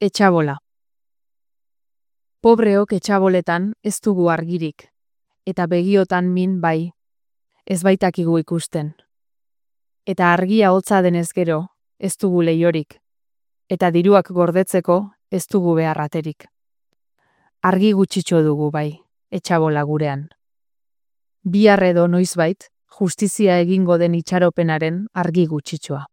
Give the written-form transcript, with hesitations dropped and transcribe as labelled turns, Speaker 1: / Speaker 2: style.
Speaker 1: Etxabola. Pobreok etxaboletan ez dugu argirik, eta begiotan min bai, ez baitakigu ikusten. Eta argia hotza denez gero, ez dugu leiorik, eta diruak gordetzeko ez dugu beharraterik. Argi gutxitxo dugu bai, etxabola gurean. Bihar edo noizbait, justizia egingo den itxaropenaren argi gutxitxoa.